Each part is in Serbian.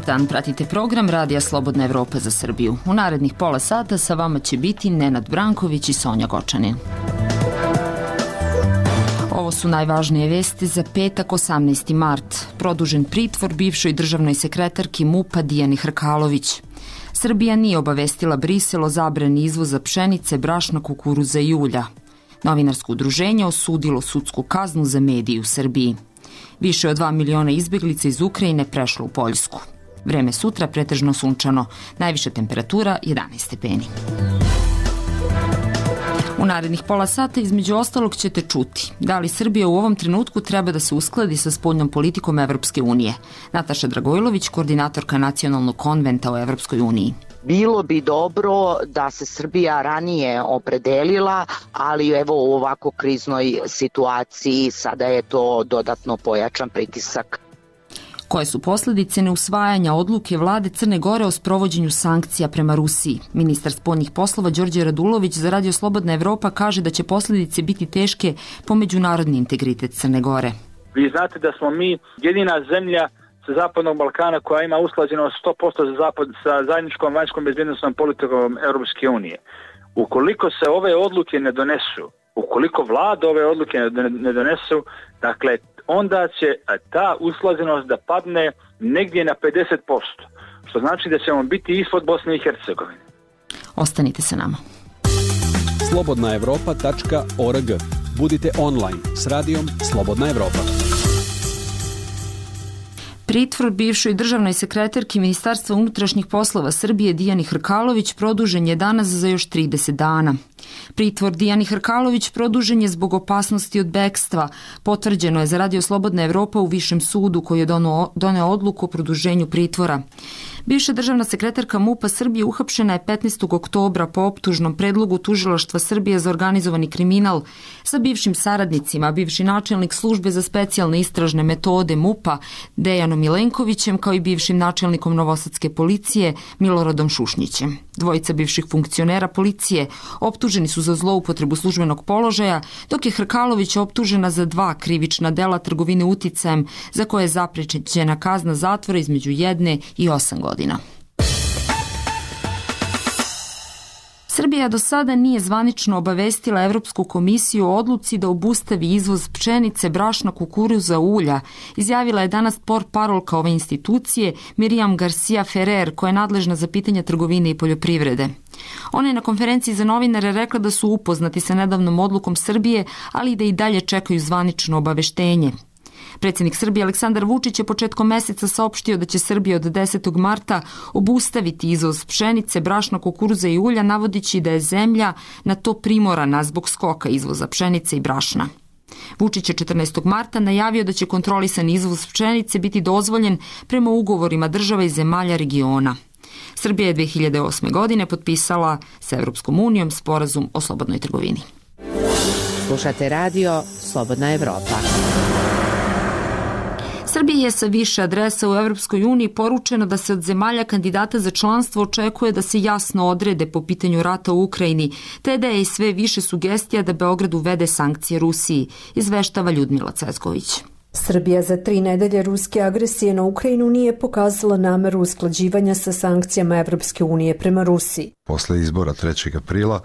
dan, pratite program Radija Slobodna Evropa za Srbiju. U narednih pola sata sa vama će biti Nenad Branković i Sonja Gočanin. Ovo su najvažnije vesti za petak 18. mart. Produžen pritvor bivšoj državnoj sekretarki MUP-a Dijani Hrkalović. Srbija nije obavestila Brisel o zabrani izvoza pšenice, brašna, kukuruza i ulja. Novinarsko udruženje osudilo sudsku kaznu za medije u Srbiji. Više od 2 miliona izbeglica iz Ukrajine prešlo u Poljsku. Vreme sutra pretežno sunčano, najviša temperatura 11 stepeni. U narednih pola sata između ostalog ćete čuti da li Srbija u ovom trenutku treba da se uskladi sa spoljnom politikom Evropske unije. Nataša Dragojlović, koordinatorka Nacionalnog konventa o Evropskoj uniji. Bilo bi dobro da se Srbija ranije opredelila, ali evo u ovako kriznoj situaciji sada je to dodatno pojačan pritisak. Koje su posljedice neusvajanja odluke vlade Crne Gore o sprovođenju sankcija prema Rusiji? Ministar spoljnih poslova Đorđe Radulović za Radio Slobodna Evropa kaže da će posljedice biti teške po međunarodni integritet Crne Gore. Vi znate da smo mi jedina zemlja sa Zapadnog Balkana koja ima usklađenost 100% sa zajedničkom vanjskom bezbjednosnom politikom Europske unije. Ukoliko se ove odluke ne donesu, ukoliko vlada ove odluke ne donesu, dakle, onda će ta usklađenost da padne negdje na 50%, što znači da ćemo biti ispod Bosne i Hercegovine. Ostanite sa nama. slobodnaevropa.org. Budite online s radijom Slobodna Evropa. Pritvor bivšoj državnoj sekretarki Ministarstva unutrašnjih poslova Srbije Dijani Hrkalović produžen je danas za još 30 dana. Pritvor Dijani Hrkalović produžen je zbog opasnosti od bekstva. Potvrđeno je za Radio Slobodna Evropa u Višem sudu koji je doneo odluku o produženju pritvora. Bivša državna sekretarka MUP-a Srbije uhapšena je 15. oktobra po optužnom predlogu Tužilaštva Srbije za organizovani kriminal sa bivšim saradnicima, bivši načelnik službe za specijalne istražne metode MUP-a Dejanom Milenkovićem kao i bivšim načelnikom Novosadske policije Miloradom Šušnjićem. Dvojica bivših funkcionera policije optuženi su za zloupotrebu službenog položaja, dok je Hrkalović optužena za 2 krivična dela trgovine uticajem za koje je zaprećena kazna zatvora između 1 i 8 godina. Srbija do sada nije zvanično obavestila Evropsku komisiju o odluci da obustavi izvoz pšenice, brašna, kukuruza, ulja, izjavila je danas portparolka ove institucije Miriam Garcia Ferrer, koja je nadležna za pitanja trgovine i poljoprivrede. Ona je na konferenciji za novinare rekla da su upoznati sa nedavnom odlukom Srbije, ali i da i dalje čekaju zvanično obaveštenje. Predsjednik Srbije Aleksandar Vučić je početkom meseca saopštio da će Srbija od 10. marta obustaviti izvoz pšenice, brašna, kukuruza i ulja, navodići da je zemlja na to primorana zbog skoka izvoza pšenice i brašna. Vučić je 14. marta najavio da će kontrolisan izvoz pšenice biti dozvoljen prema ugovorima država i zemalja regiona. Srbija je 2008. godine potpisala sa Evropskom unijom sporazum o slobodnoj trgovini. Slušate radio Slobodna Evropa. Srbiji je sa više adresa u Evropskoj uniji poručeno da se od zemalja kandidata za članstvo očekuje da se jasno odrede po pitanju rata u Ukrajini, te da je i sve više sugestija da Beograd uvede sankcije Rusiji, izveštava Ljudmila Cvetković. Srbija za 3 nedelje ruske agresije na Ukrajinu nije pokazala nameru usklađivanja sa sankcijama Evropske unije prema Rusiji. Posle izbora 3. aprila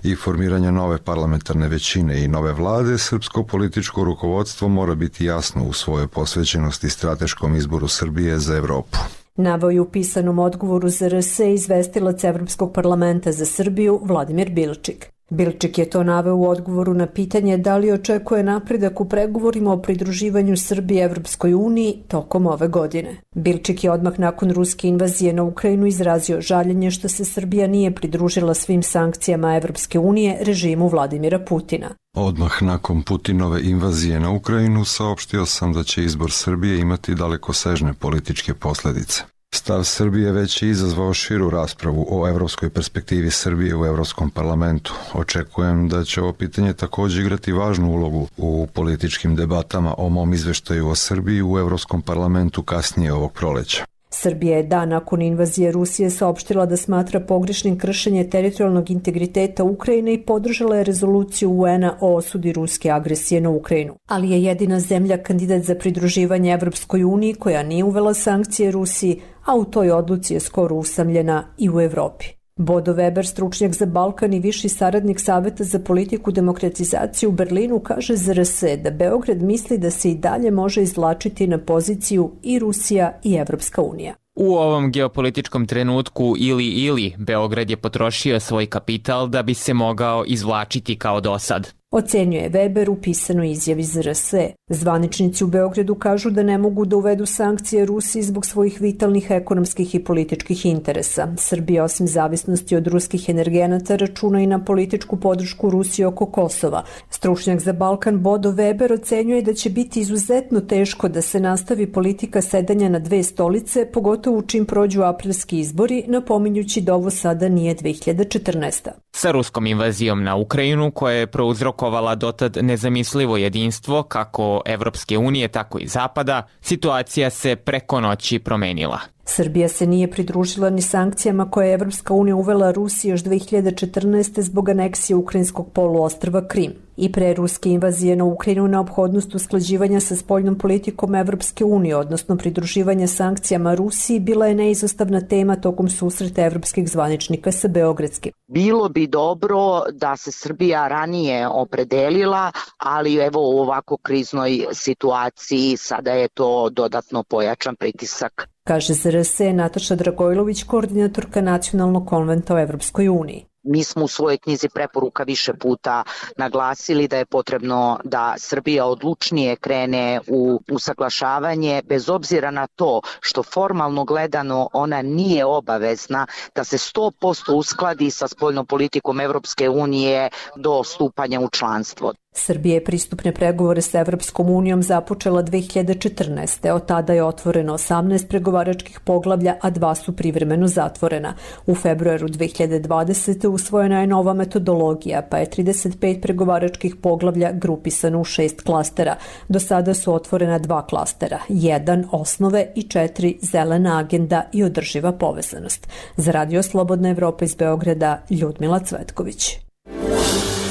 i formiranja nove parlamentarne većine i nove vlade, srpsko političko rukovodstvo mora biti jasno u svojoj posvećenosti strateškom izboru Srbije za Evropu. Naveo je u pisanom odgovoru za RS izvestilac Evropskog parlamenta za Srbiju Vladimir Bilčik. Bilčik je to naveo u odgovoru na pitanje da li očekuje napredak u pregovorima o pridruživanju Srbije Evropskoj uniji tokom ove godine. Bilčik je odmah nakon ruske invazije na Ukrajinu izrazio žaljenje što se Srbija nije pridružila svim sankcijama Evropske unije režimu Vladimira Putina. Odmah nakon Putinove invazije na Ukrajinu saopštio sam da će izbor Srbije imati dalekosežne političke posljedice. Stav Srbije već je izazvao širu raspravu o evropskoj perspektivi Srbije u Evropskom parlamentu. Očekujem da će ovo pitanje također igrati važnu ulogu u političkim debatama o mom izveštaju o Srbiji u Evropskom parlamentu kasnije ovog proleća. Srbija je dan nakon invazije Rusije saopštila da smatra pogrešnim kršenje teritorijalnog integriteta Ukrajine i podržala je rezoluciju UN-a o osudi ruske agresije na Ukrajinu. Ali je jedina zemlja kandidat za pridruživanje Evropskoj uniji koja nije uvela sankcije Rusiji, a u toj odluci je skoro usamljena i u Evropi. Bodo Weber, stručnjak za Balkan i viši saradnik Saveta za politiku demokratizacije u Berlinu, kaže za RS da Beograd misli da se i dalje može izvlačiti na poziciju i Rusija i Evropska unija. U ovom geopolitičkom trenutku ili Beograd je potrošio svoj kapital da bi se mogao izvlačiti kao dosad. Ocenjuje Weber u pisanoj izjavi za RS. Zvaničnici u Beogradu kažu da ne mogu da uvedu sankcije Rusiji zbog svojih vitalnih ekonomskih i političkih interesa. Srbija osim zavisnosti od ruskih energenata računa i na političku podršku Rusije oko Kosova. Stručnjak za Balkan Bodo Weber ocenjuje da će biti izuzetno teško da se nastavi politika sedanja na dve stolice, pogotovo čim prođu aprilski izbori, napominjući da ovo sada nije 2014. Sa ruskom invazijom na Ukrajinu, koja je prouzrokovala dotad nezamislivo jedinstvo kako Evropske unije, tako i Zapada, situacija se preko noći promenila. Srbija se nije pridružila ni sankcijama koje je Evropska unija uvela Rusiji još 2014. zbog aneksije ukrajinskog poluostrva Krim. I pre ruske invazije na Ukrajinu neophodnost usklađivanja sa spoljnom politikom Evropske unije, odnosno pridruživanja sankcijama Rusiji, bila je neizostavna tema tokom susreta evropskih zvaničnika sa beogradskim. Bilo bi dobro da se Srbija ranije opredelila, ali evo u ovako kriznoj situaciji sada je to dodatno pojačan pritisak. Kaže za RS Nataša Dragojlović, koordinatorka Nacionalnog konventa o Evropskoj uniji. Mi smo u svojoj knjizi preporuka više puta naglasili da je potrebno da Srbija odlučnije krene u usaglašavanje, bez obzira na to što formalno gledano ona nije obavezna da se 100% uskladi sa spoljnom politikom Evropske unije do stupanja u članstvo. Srbija je pristupne pregovore sa Evropskom unijom započela 2014. Od tada je otvoreno 18 pregovaračkih poglavlja, a 2 su privremeno zatvorena. U februaru 2020. usvojena je nova metodologija, pa je 35 pregovaračkih poglavlja grupisano u 6 klastera. Do sada su otvorena 2 klastera, 1 osnove i 4 zelena agenda i održiva povezanost. Za Radio Slobodna Evropa iz Beograda, Ljudmila Cvetković.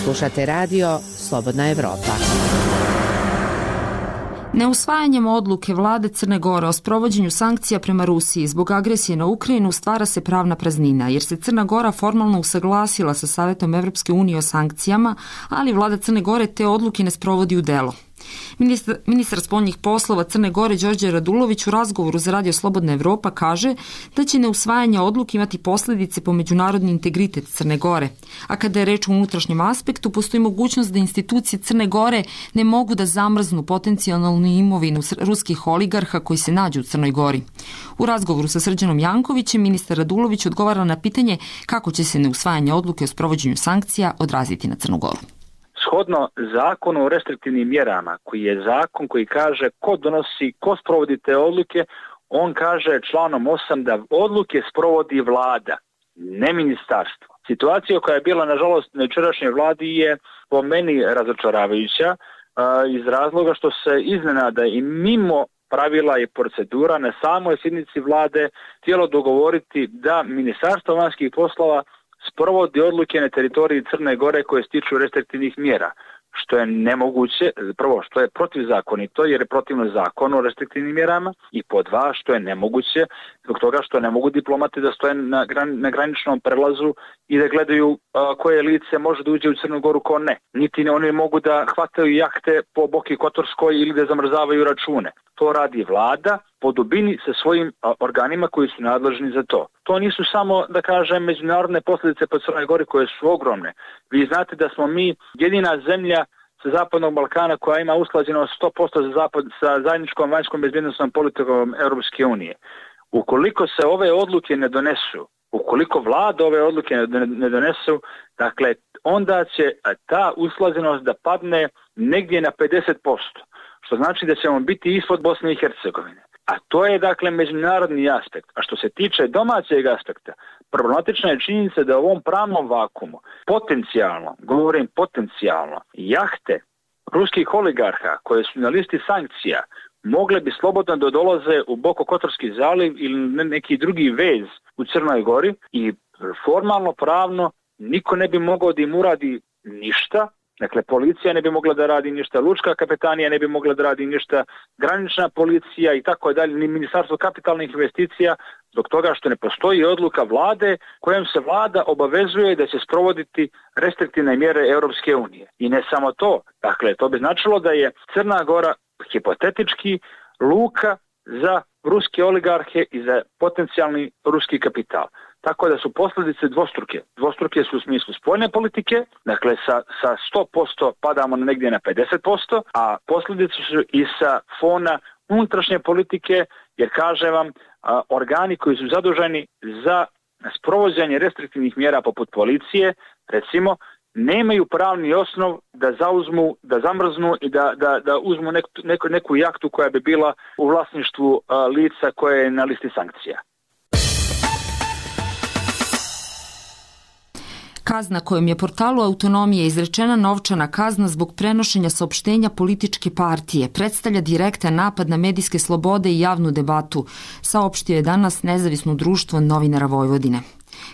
Slušate radio Slobodna Evropa. Neusvajanjem odluke vlade Crne Gore o sprovođenju sankcija prema Rusiji zbog agresije na Ukrajinu stvara se pravna praznina, jer se Crna Gora formalno usaglasila sa Savetom Evropske unije o sankcijama, ali vlada Crne Gore te odluke ne sprovodi u delo. Ministar spoljnih poslova Crne Gore Đorđe Radulović u razgovoru za Radio Slobodna Evropa kaže da će neusvajanje odluke imati posljedice po međunarodni integritet Crne Gore, a kada je reč o unutrašnjem aspektu, postoji mogućnost da institucije Crne Gore ne mogu da zamrznu potencijalnu imovinu ruskih oligarha koji se nađu u Crnoj Gori. U razgovoru sa Srđanom Jankovićem ministar Radulović odgovara na pitanje kako će se neusvajanje odluke o sprovođenju sankcija odraziti na Crnu Goru. Shodno zakonu o restriktivnim mjerama, koji je zakon koji kaže ko sprovodi te odluke, on kaže članom 8 da odluke sprovodi vlada, ne ministarstvo. Situacija koja je bila, nažalost, na jučerašnjoj vladi je po meni razočaravajuća iz razloga što se iznenada i mimo pravila i procedura na samoj sjednici vlade htjelo dogovoriti da Ministarstvo vanjskih poslova sprovodi odluke na teritoriji Crne Gore koje se tiču restriktivnih mjera, što je nemoguće, prvo što je protivzakonito jer je protivno zakonu o restriktivnim mjerama i po 2 što je nemoguće zbog toga što ne mogu diplomati da stoje na graničnom prelazu i da gledaju koje lice može da uđe u Crnu Goru, ko ne. Niti oni mogu da hvataju jahte po Boki Kotorskoj ili da zamrzavaju račune. To radi vlada po dubini sa svojim organima koji su nadležni za to. To nisu samo, da kažem, međunarodne posljedice po Crnoj Gori koje su ogromne. Vi znate da smo mi jedina zemlja sa Zapadnog Balkana koja ima usklađeno 100% sa zajedničkom vanjskom bezbjednosnom politikom Europske unije. Ukoliko se ove odluke ne donesu, ukoliko vlada ove odluke ne donesu, dakle, onda će ta usklađenost da padne negdje na 50%, što znači da ćemo biti ispod Bosne i Hercegovine. A to je, dakle, međunarodni aspekt. A što se tiče domaćeg aspekta, problematična je činjenica da u ovom pravnom vakumu potencijalno, govorim potencijalno, jahte ruskih oligarha koje su na listi sankcija mogle bi slobodno da dolaze u Bokokotorski zaliv ili neki drugi vez u Crnoj Gori i formalno, pravno niko ne bi mogao da im uradi ništa. Dakle, policija ne bi mogla da radi ništa, lučka kapetanija ne bi mogla da radi ništa, granična policija i tako dalje, ni Ministarstvo kapitalnih investicija, zbog toga što ne postoji odluka vlade kojom se vlada obavezuje da će sprovoditi restriktivne mjere Europske unije. I ne samo to, dakle, to bi značilo da je Crna Gora hipotetički luka za ruske oligarhe i za potencijalni ruski kapital. Tako da su posljedice dvostruke. Dvostruke su u smislu spoljne politike, dakle sa 100% padamo negdje na 50%, a posljedice su i sa fona unutrašnje politike, jer kažem vam, organi koji su zaduženi za sprovođenje restriktivnih mjera poput policije, recimo, nemaju pravni osnov da zauzmu, da zamrznu i da uzmu neku jahtu koja bi bila u vlasništvu lica koje je na listi sankcija. Kazna kojom je portalu Autonomije izrečena novčana kazna zbog prenošenja saopštenja političke partije predstavlja direktan napad na medijske slobode i javnu debatu, saopštio je danas Nezavisno društvo novinara Vojvodine.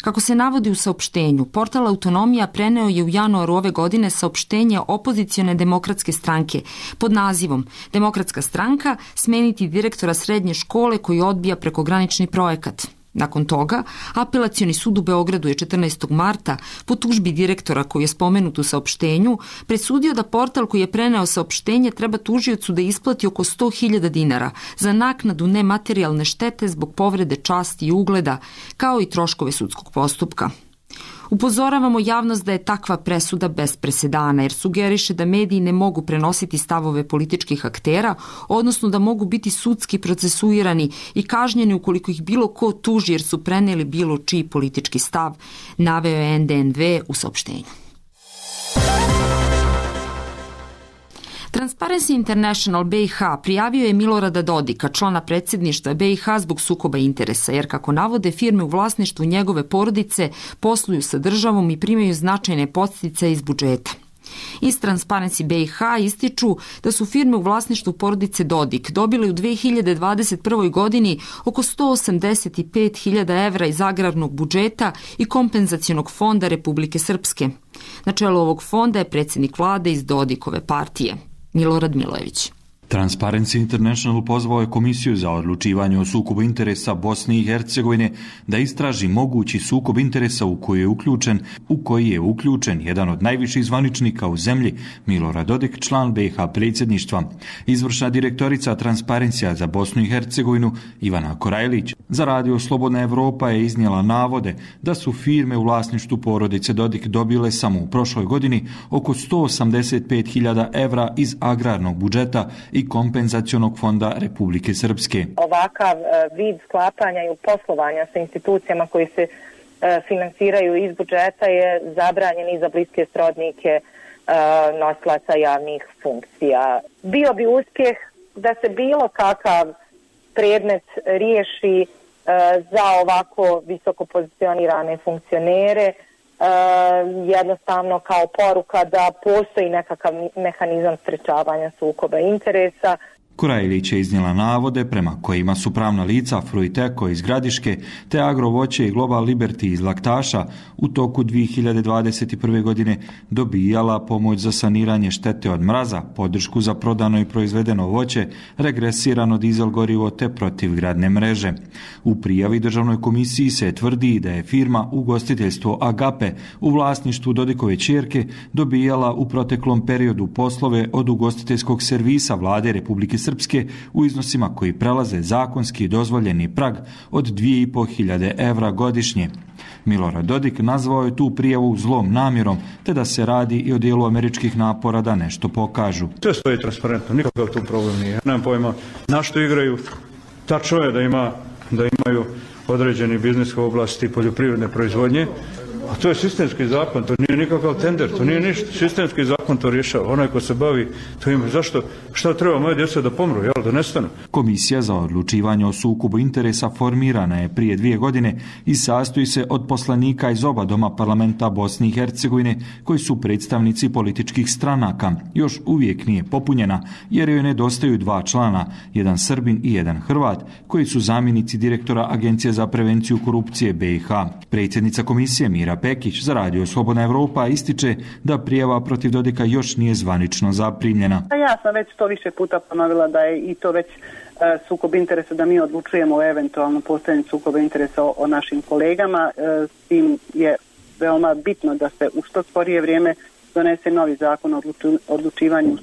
Kako se navodi u saopštenju, portal Autonomija preneo je u januaru ove godine saopštenje opozicione demokratske stranke pod nazivom Demokratska stranka smeniti direktora srednje škole koji odbija prekogranični projekat. Nakon toga, Apelacioni sud u Beogradu je 14. marta po tužbi direktora koji je spomenut u saopštenju presudio da portal koji je preneo saopštenje treba tužiocu da isplati oko 100.000 dinara za naknadu nematerijalne štete zbog povrede časti i ugleda, kao i troškove sudskog postupka. Upozoravamo javnost da je takva presuda bez presedana, jer sugeriše da mediji ne mogu prenositi stavove političkih aktera, odnosno da mogu biti sudski procesuirani i kažnjeni ukoliko ih bilo ko tuži jer su preneli bilo čiji politički stav, naveo je NDNV u saopštenju. Transparency International BiH prijavio je Milorada Dodika, člana predsjedništva BiH zbog sukoba interesa, jer kako navode firme u vlasništvu njegove porodice posluju sa državom i primaju značajne podsticaje iz budžeta. Iz Transparency BiH ističu da su firme u vlasništvu porodice Dodik dobile u 2021. godini oko 185.000 evra iz agrarnog budžeta i kompenzacionog fonda Republike Srpske. Na čelu ovog fonda je predsjednik vlade iz Dodikove partije, Milorad Milojević. Transparency International pozvao je Komisiju za odlučivanje o sukobu interesa Bosne i Hercegovine da istraži mogući sukob interesa u koji je uključen jedan od najviših zvaničnika u zemlji, Milorad Dodik, član BiH predsjedništva. Izvršna direktorica Transparencija za Bosnu i Hercegovinu, Ivana Korajlić, za radio Slobodna Evropa je iznijela navode da su firme u vlasništvu porodice Dodik dobile samo u prošloj godini oko 185.000 evra iz agrarnog budžeta i kompenzacionog fonda Republike Srpske. Ovakav vid sklapanja i poslovanja sa institucijama koji se finansiraju iz budžeta je zabranjen i za bliske srodnike nosilaca javnih funkcija. Bio bi uspjeh da se bilo kakav predmet riješi za ovako visoko pozicionirane funkcionere, jednostavno kao poruka da postoji nekakav mehanizam sprečavanja sukoba interesa. Korajlić je iznijela navode prema kojima su pravna lica Fruiteko iz Gradiške te Agrovoće i Global Liberty iz Laktaša u toku 2021. godine dobijala pomoć za saniranje štete od mraza, podršku za prodano i proizvedeno voće, regresirano dizel gorivo te protivgradne mreže. U prijavi Državnoj komisiji se tvrdi da je firma Ugostiteljstvo Agape u vlasništvu Dodikove ćerke dobijala u proteklom periodu poslove od ugostiteljskog servisa Vlade Republike Srpske u iznosima koji prelaze zakonski dozvoljeni prag od 2.500 evra godišnje. Milorad Dodik nazvao je tu prijavu zlom namjerom, te da se radi i o dijelu američkih napora da nešto pokažu. Sve stoji transparentno, nikakav tu problem nije. Nemam pojma na što igraju. Tačno je da imaju određeni biznis u oblasti poljoprivredne proizvodnje, A to je sistemski zakon, to nije nikakav tender, to nije ništa. Sistemski zakon to rješava. Onaj ko se bavi, to ima zašto, šta treba moje djece da pomru, da nestanu. Komisija za odlučivanje o sukobu interesa formirana je prije 2 godine i sastoji se od poslanika iz oba doma parlamenta Bosne i Hercegovine koji su predstavnici političkih stranaka. Još uvijek nije popunjena jer joj nedostaju 2 člana, jedan Srbin i jedan Hrvat, koji su zamjenici direktora Agencije za prevenciju korupcije BiH. Predsjednica komisije Mira Pekić za Radio Slobodna Evropa ističe da prijava protiv Dodika još nije zvanično zaprimljena. Ja sam već to više puta ponovila da je i to već sukob interesa, da mi odlučujemo o eventualno postojanju sukoba interesa o našim kolegama. S tim je veoma bitno da se u što skorije vrijeme donese novi zakon o odlučivanju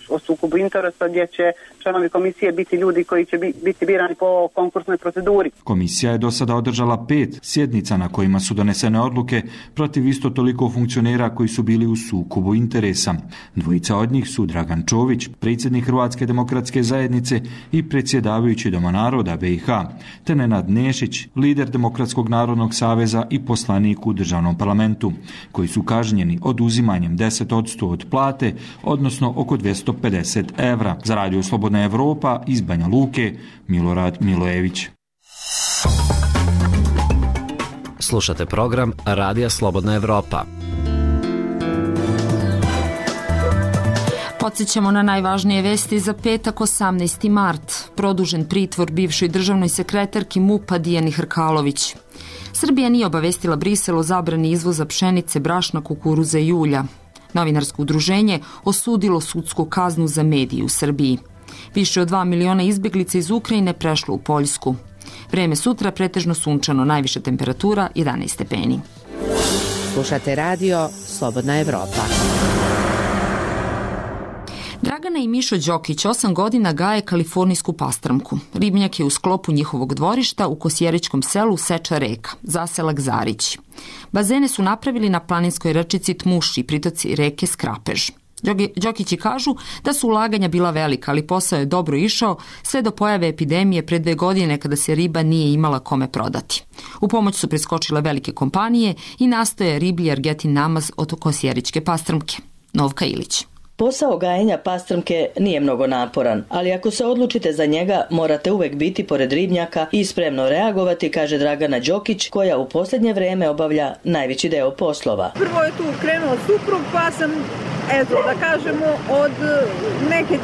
o sukobu interesa, gdje će članovi komisije biti ljudi koji će biti birani po konkursnoj proceduri. Komisija je do sada održala 5 sjednica na kojima su donesene odluke protiv isto toliko funkcionera koji su bili u sukobu interesa. 2 od njih su Dragan Čović, predsjednik Hrvatske demokratske zajednice i predsjedavajući Doma naroda BiH, te Nenad Nešić, lider Demokratskog narodnog saveza i poslanik u državnom parlamentu, koji su kažnjeni oduzimanjem 10% od plate, odnosno oko 250 evra. Za Radio Slobodna Evropa iz Banja Luke, Milorad Milojević. Slušate program Radija Slobodna Evropa. Podsjećamo na najvažnije vesti za petak 18. mart. Produžen pritvor bivšoj državnoj sekretarki MUP-a Dijani Hrkalović. Srbija nije obavestila Brisel o zabrani izvoza pšenice, brašna, kukuruza i ulja. Novinarsko udruženje osudilo sudsku kaznu za medije u Srbiji. Više od 2 miliona izbjeglica iz Ukrajine prešlo u Poljsku. Vreme sutra pretežno sunčano, najviša temperatura 11 stepeni. Slušate radio Slobodna Evropa. Dragana i Mišo Đokić 8 godina gaje kalifornijsku pastramku. Ribnjak je u sklopu njihovog dvorišta u Kosjeričkom selu Seča reka, zaselak Zarić. Bazene su napravili na planinskoj rečici Tmuši, pritoci reke Skrapež. Đokići kažu da su ulaganja bila velika, ali posao je dobro išao sve do pojave epidemije pre 2 godine kada se riba nije imala kome prodati. U pomoć su preskočile velike kompanije i nastoje riblji Argetin namaz od Kosjeričke pastramke. Novka Ilić. Posao gajenja pastramke nije mnogo naporan, ali ako se odlučite za njega, morate uvek biti pored ribnjaka i spremno reagovati, kaže Dragana Đokić, koja u posljednje vrijeme obavlja najveći deo poslova. Prvo je tu krenuo suprug, pa sam, da kažemo, od neke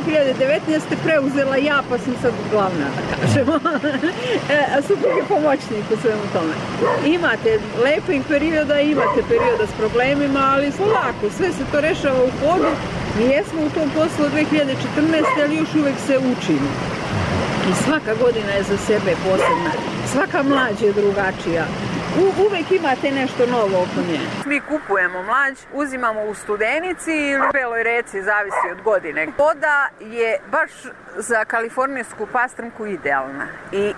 2019. preuzela ja, pa sam sad glavna, da kažemo. A suprug je pomoćnik u svemu tome. Imate lepih perioda, imate perioda s problemima, ali lako, sve se to rešava u hodu. Mi jesmo u tom poslu od 2014. ali još uvijek se učimo. I svaka godina je za sebe posebna. Svaka mlađ je drugačija. Uvijek imate nešto novo oko nje. Mi kupujemo mlađ, uzimamo u Studenici ili u Beloj reci, zavisi od godine. Voda je baš za kalifornijsku pastramku idealna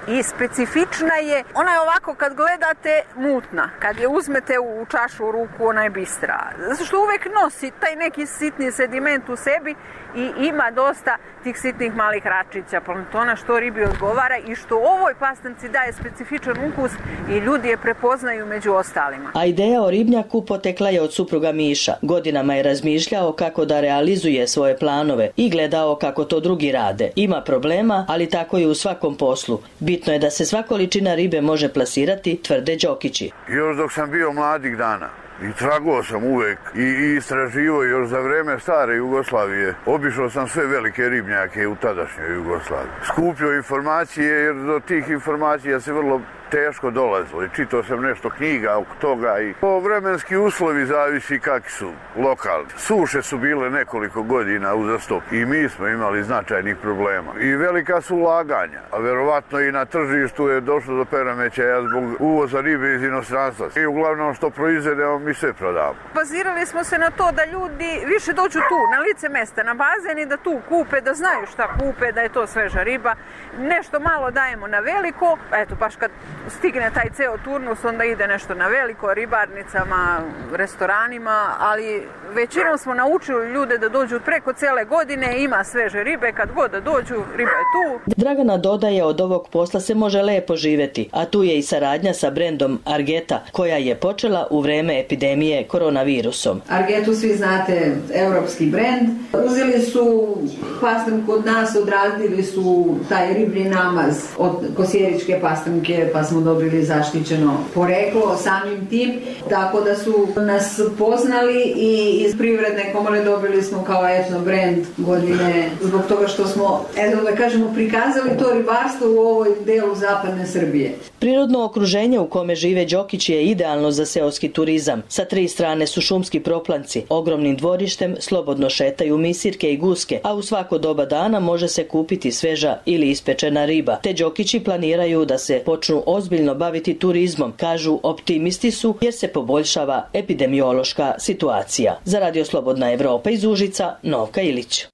i specifična je. Ona je ovako kad gledate mutna. Kad je uzmete u čašu u ruku, ona je bistra. Zato što uvijek nosi taj neki sitni sediment u sebi i ima dosta tih sitnih malih račića, planktona, što ribi odgovara i što ovoj pastramci daje specifičan ukus i ljudi je prepoznaju među ostalima. A ideja o ribnjaku potekla je od supruga Miša. Godinama je razmišljao kako da realizuje svoje planove i gledao kako to drugi rade. Ima problema, ali tako je u svakom poslu. Bitno je da se sva količina ribe može plasirati, tvrde Đokići. Još dok sam bio mladih dana i tragao sam uvek i istraživao još za vreme stare Jugoslavije. Obišao sam sve velike ribnjake u tadašnjoj Jugoslaviji. Skupio informacije jer do tih informacija se vrlo teško dolazilo i čitao sam nešto knjiga oko toga i vremenski uslovi zavisi kakvi su lokalni. Suše su bile nekoliko godina uzastop i mi smo imali značajnih problema i velika su ulaganja, a verovatno i na tržištu je došlo do poremećaja zbog uvoza ribe iz inostranstva i uglavnom što proizvedemo mi sve prodamo. Bazirali smo se na to da ljudi više dođu tu, na lice mesta, na bazen i da tu kupe, da znaju šta kupe, da je to sveža riba. Nešto malo dajemo na veliko, eto baš kad stigne taj ceo turnus, onda ide nešto na veliko, ribarnicama, restoranima, ali većinom smo naučili ljude da dođu preko cele godine, ima sveže ribe, kad god da dođu, riba je tu. Dragana dodaje, od ovog posla se može lepo živjeti, a tu je i saradnja sa brendom Argeta, koja je počela u vreme epidemije koronavirusom. Argetu svi znate, europski brend. Uzeli su pastrnku od nas, odradili su taj riblji namaz od kosjeričke pastrnke, pa smo dobili zaštićeno poreklo samim tim, tako da su nas poznali i iz Privredne komore dobili smo kao etno brend godine, zbog toga što smo, da kažemo, prikazali to ribarstvo u ovoj delu zapadne Srbije. Prirodno okruženje u kome žive Đokići je idealno za seoski turizam. Sa 3 strane su šumski proplanci, ogromnim dvorištem slobodno šetaju misirke i guske, a u svako doba dana može se kupiti sveža ili ispečena riba. Te Đokići planiraju da se počnu ozbiljno baviti turizmom, kažu optimisti su, jer se poboljšava epidemiološka situacija. Za Radio Slobodna Evropa iz Užica, Novka Ilić.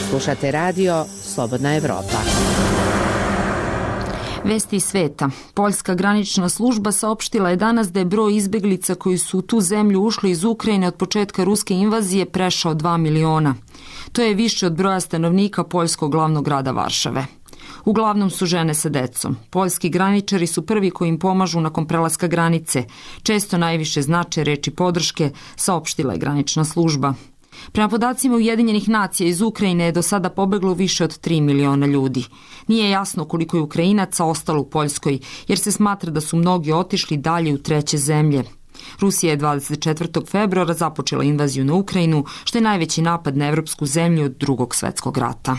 Slušate Radio Slobodna Evropa. Vesti iz sveta. Poljska granična služba saopštila je danas da je broj izbeglica koji su u tu zemlju ušli iz Ukrajine od početka ruske invazije prešao 2 miliona. To je više od broja stanovnika poljskog glavnog grada Varšave. Uglavnom su žene sa decom. Poljski graničari su prvi koji im pomažu nakon prelaska granice. Često najviše znače reči podrške, saopštila je granična služba. Prema podacima Ujedinjenih nacija, iz Ukrajine je do sada pobeglo više od 3 miliona ljudi. Nije jasno koliko je Ukrajinaca ostalo u Poljskoj, jer se smatra da su mnogi otišli dalje u treće zemlje. Rusija je 24. februara započela invaziju na Ukrajinu, što je najveći napad na evropsku zemlju od Drugog svjetskog rata.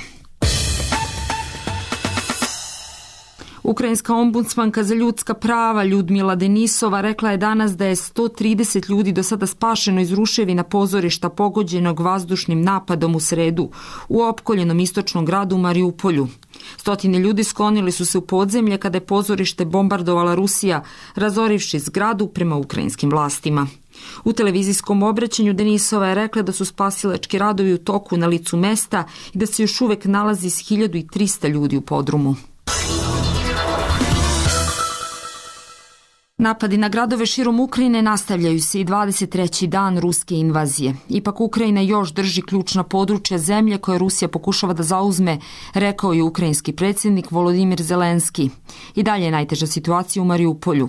Ukrajinska ombudsmanka za ljudska prava Ljudmila Denisova rekla je danas da je 130 ljudi do sada spašeno iz ruševina pozorišta pogođenog vazdušnim napadom u sredu u opkoljenom istočnom gradu Mariupolju. Stotine ljudi sklonili su se u podzemlje kada je pozorište bombardovala Rusija, razorivši zgradu prema ukrajinskim vlastima. U televizijskom obraćanju Denisova je rekla da su spasilački radovi u toku na licu mesta i da se još uvek nalazi 1300 ljudi u podrumu. Napadi na gradove širom Ukrajine nastavljaju se i 23. dan ruske invazije. Ipak Ukrajina još drži ključna područja zemlje koje Rusija pokušava da zauzme, rekao je ukrajinski predsjednik Volodimir Zelenski. I dalje je najteža situacija u Mariupolju.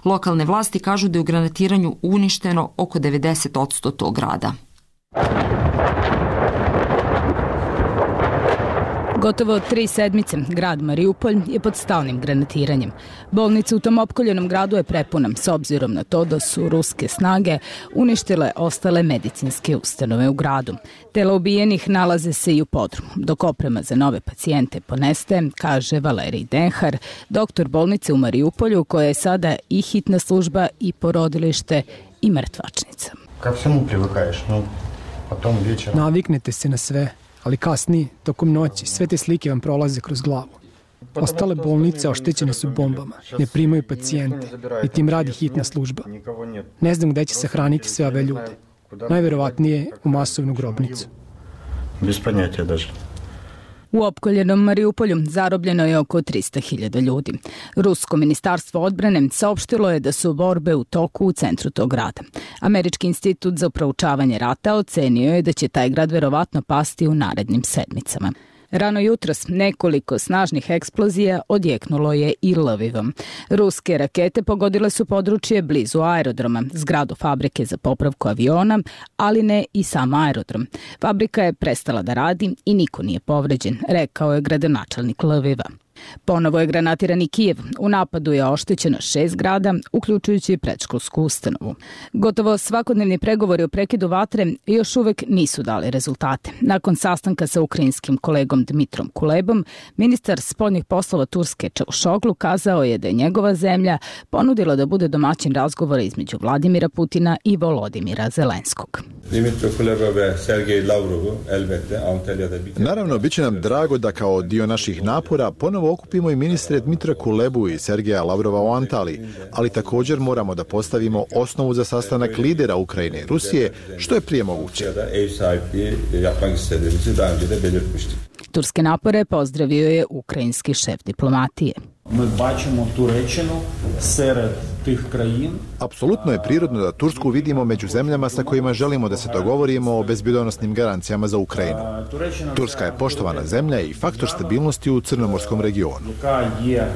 Lokalne vlasti kažu da je u granatiranju uništeno oko 90% tog grada. Gotovo 3 sedmice grad Mariupolj je pod stalnim granatiranjem. Bolnica u tom opkoljenom gradu je prepuna, s obzirom na to da su ruske snage uništile ostale medicinske ustanove u gradu. Tela ubijenih nalaze se i u podrumu, dok oprema za nove pacijente ponestaje, kaže Valerij Denhar, doktor bolnice u Mariupolju, koja je sada i hitna služba i porodilište i mrtvačnica. Kad svemu privukaješ, potom večera. Naviknete se na sve, ali kasnije, tokom noći, sve te slike vam prolaze kroz glavu. Ostale bolnice oštećene su bombama, ne primaju pacijente i tim radi hitna služba. Ne znam gde će sahraniti sve ove ljude. Najverovatnije u masovnu grobnicu. Bez panjatija daže. U opkoljenom Mariupolju zarobljeno je oko 300.000 ljudi. Rusko ministarstvo odbrane saopštilo je da su borbe u toku u centru tog grada. Američki institut za proučavanje rata ocenio je da će taj grad verovatno pasti u narednim sedmicama. Rano jutros nekoliko snažnih eksplozija odjeknulo je i Lvivom. Ruske rakete pogodile su područje blizu aerodroma, zgradu fabrike za popravku aviona, ali ne i sam aerodrom. Fabrika je prestala da radi i niko nije povređen, rekao je gradonačelnik Lviva. Ponovo je granatiran i Kijev. U napadu je oštećeno 6 zgrada, uključujući predškolsku ustanovu. Gotovo svakodnevni pregovori o prekidu vatre još uvek nisu dali rezultate. Nakon sastanka sa ukrajinskim kolegom Dmitrom Kulebom, ministar spoljnih poslova Turske Čavušoglu kazao je da je njegova zemlja ponudila da bude domaćin razgovora između Vladimira Putina i Volodimira Zelenskog. Naravno, bit će nam drago da kao dio naših napora ponovo okupimo i ministre Dmitra Kulebu i Sergeja Lavrova u Antaliji, ali također moramo da postavimo osnovu za sastanak lidera Ukrajine i Rusije, što je prije moguće. Turske napore pozdravio je ukrajinski šef diplomatije. Mi bačimo Turečinu sered tih krajin. Apsolutno je prirodno da Tursku vidimo među zemljama sa kojima želimo da se dogovorimo o bezbjedonosnim garancijama za Ukrajinu. Turska je poštovana zemlja i faktor stabilnosti u crnomorskom regionu. Яка є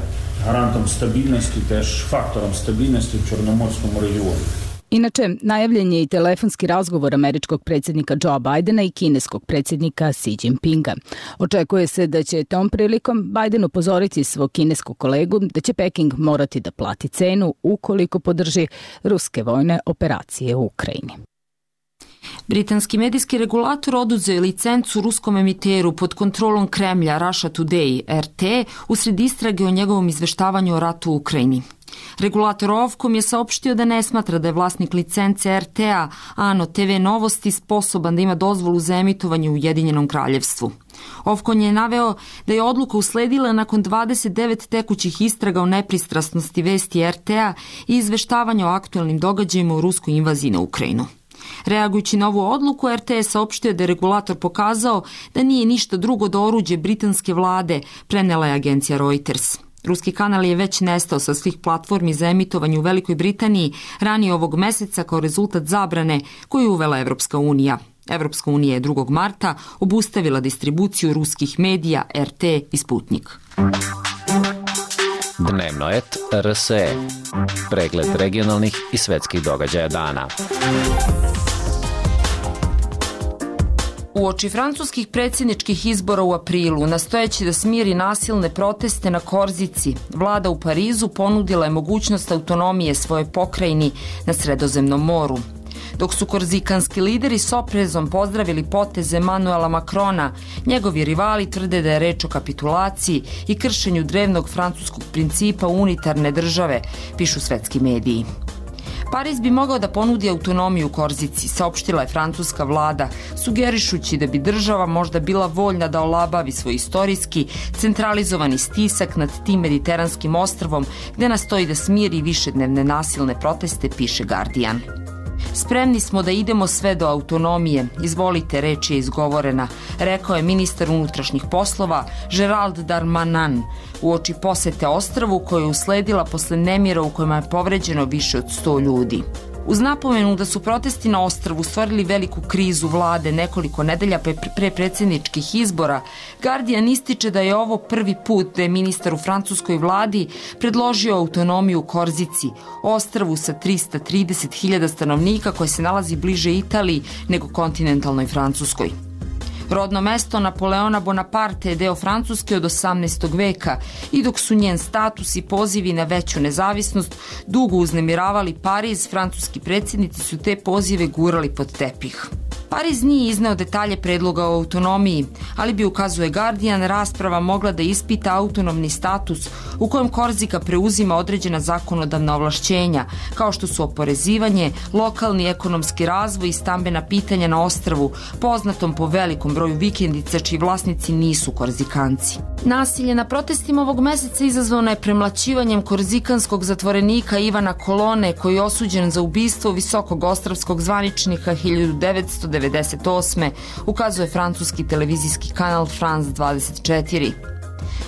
гарантом стабільності, теж фактором стабільності в Чорноморському регіоні. Inače, najavljen je i telefonski razgovor američkog predsjednika Joea Bidena i kineskog predsjednika Xi Jinpinga. Očekuje se da će tom prilikom Biden upozoriti svog kineskog kolegu da će Peking morati da plati cenu ukoliko podrži ruske vojne operacije u Ukrajini. Britanski medijski regulator oduzeo je licencu ruskom emiteru pod kontrolom Kremlja Russia Today RT usred istrage o njegovom izveštavanju o ratu u Ukrajini. Regulator Ovkom je saopštio da ne smatra da je vlasnik licence RTA Ano TV Novosti sposoban da ima dozvolu za emitovanje u Ujedinjenom kraljevstvu. Ovkon je naveo da je odluka usledila nakon 29 tekućih istraga o nepristrasnosti vesti RTA i izveštavanja o aktualnim događajima u ruskoj invaziji na Ukrajinu. Reagujući na ovu odluku, RT je saopštio da je regulator pokazao da nije ništa drugo do oruđe britanske vlade, prenela je agencija Reuters. Ruski kanal je već nestao sa svih platformi za emitovanje u Velikoj Britaniji ranije ovog meseca kao rezultat zabrane koju je uvela Evropska unija. Evropska unija je 2. marta obustavila distribuciju ruskih medija RT i Sputnik. Dnevnoet RSE. Pregled regionalnih i svetskih događaja dana. Uoči francuskih predsjedničkih izbora u aprilu, nastojeći da smiri nasilne proteste na Korzici, vlada u Parizu ponudila je mogućnost autonomije svoje pokrajini na Sredozemnom moru. Dok su korzikanski lideri s oprezom pozdravili poteze Emanuela Macrona, njegovi rivali tvrde da je reč o kapitulaciji i kršenju drevnog francuskog principa unitarne države, pišu svetski mediji. Pariz bi mogao da ponudi autonomiju Korzici, saopštila je francuska vlada, sugerišući da bi država možda bila voljna da olabavi svoj istorijski, centralizovani stisak nad tim mediteranskim ostrvom gde nastoji da smiri višednevne nasilne proteste, piše Guardian. Spremni smo da idemo sve do autonomije, izvolite, reč je izgovorena, rekao je ministar unutrašnjih poslova Gerald Darmanin uoči posete ostrvu koja je usledila posle nemira u kojima je povređeno više od 100 ljudi. Uz napomenu da su protesti na ostrvu stvorili veliku krizu vlade nekoliko nedelja pre predsjedničkih izbora, Guardian ističe da je ovo prvi put da je ministar u francuskoj vladi predložio autonomiju Korzici, ostrvu sa 330.000 stanovnika koje se nalazi bliže Italiji nego kontinentalnoj Francuskoj. Rodno mesto Napoleona Bonaparte je deo Francuske od 18. veka i dok su njen status i pozivi na veću nezavisnost dugo uznemiravali Pariz, francuski predsjednici su te pozive gurali pod tepih. Pariz nije izneo detalje predloga o autonomiji, ali bi, ukazuje Guardian, rasprava mogla da ispita autonomni status u kojem Korzika preuzima određena zakonodavna ovlašćenja, kao što su oporezivanje, lokalni ekonomski razvoj i stambena pitanja na ostrvu, poznatom po velikom broju vikendica čiji vlasnici nisu Korzikanci. Nasilje na protestima ovog meseca izazvano je premlaćivanjem korzikanskog zatvorenika Ivana Kolone, koji je osuđen za ubistvo visokog ostrvskog zvaničnika 1998. ukazuje francuski televizijski kanal France 24.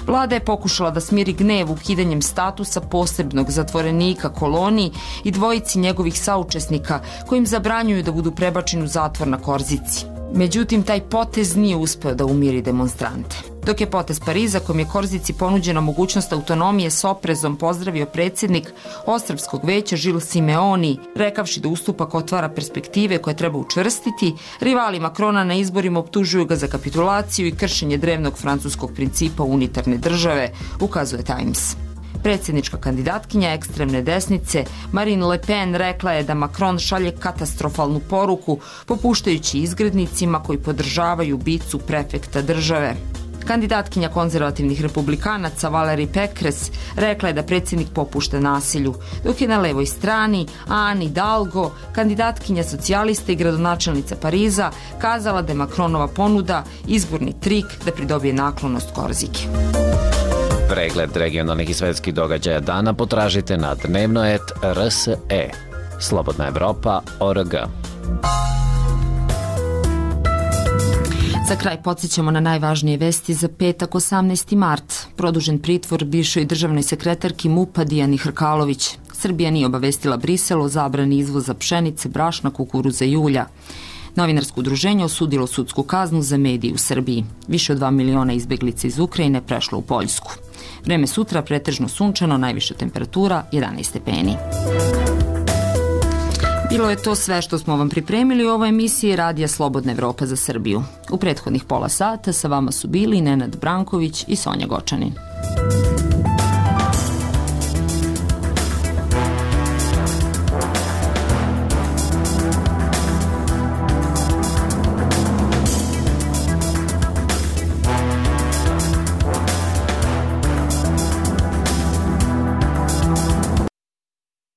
Vlada je pokušala da smiri gnev ukidanjem statusa posebnog zatvorenika Koloni i dvojici njegovih saučesnika kojim zabranjuju da budu prebačeni u zatvor na Korzici. Međutim, taj potez nije uspeo da umiri demonstrante. Dok je potez Pariza, kojim je Korzici ponuđena mogućnost autonomije, s oprezom pozdravio predsjednik Ostrvskog veća Žil Simeoni, rekavši da ustupak otvara perspektive koje treba učvrstiti, rivali Macrona na izborima optužuju ga za kapitulaciju i kršenje drevnog francuskog principa unitarne države, ukazuje Times. Predsjednička kandidatkinja ekstremne desnice Marine Le Pen rekla je da Macron šalje katastrofalnu poruku popuštajući izgrednicima koji podržavaju ubicu prefekta države. Kandidatkinja konzervativnih republikanaca Valérie Pécresse rekla je da predsjednik popušta nasilju, dok je na levoj strani Anne Hidalgo, kandidatkinja socijalista i gradonačelnica Pariza, kazala da je Macronova ponuda izborni trik da pridobije naklonost Korzike. Pregled regionalnih i svetskih događaja dana potražite na Dnevnoet RSE. Slobodna Evropa.org. Za kraj podsjećamo na najvažnije vesti za petak 18. mart. Produžen pritvor bivšoj državnoj sekretarki MUP-a Dijani Hrkalović. Srbija nije obavestila Brisel o zabrani izvoza pšenice, brašna, kukuruza i ulja. Novinarsko udruženje osudilo sudsku kaznu za medije u Srbiji. Više od 2 miliona izbeglica iz Ukrajine prešlo u Poljsku. Vreme sutra pretežno sunčano, najviša temperatura 11 stepeni. Bilo je to sve što smo vam pripremili u ovoj emisiji Radija Slobodna Evropa za Srbiju. U prethodnih pola sata sa vama su bili Nenad Branković i Sonja Gočanin.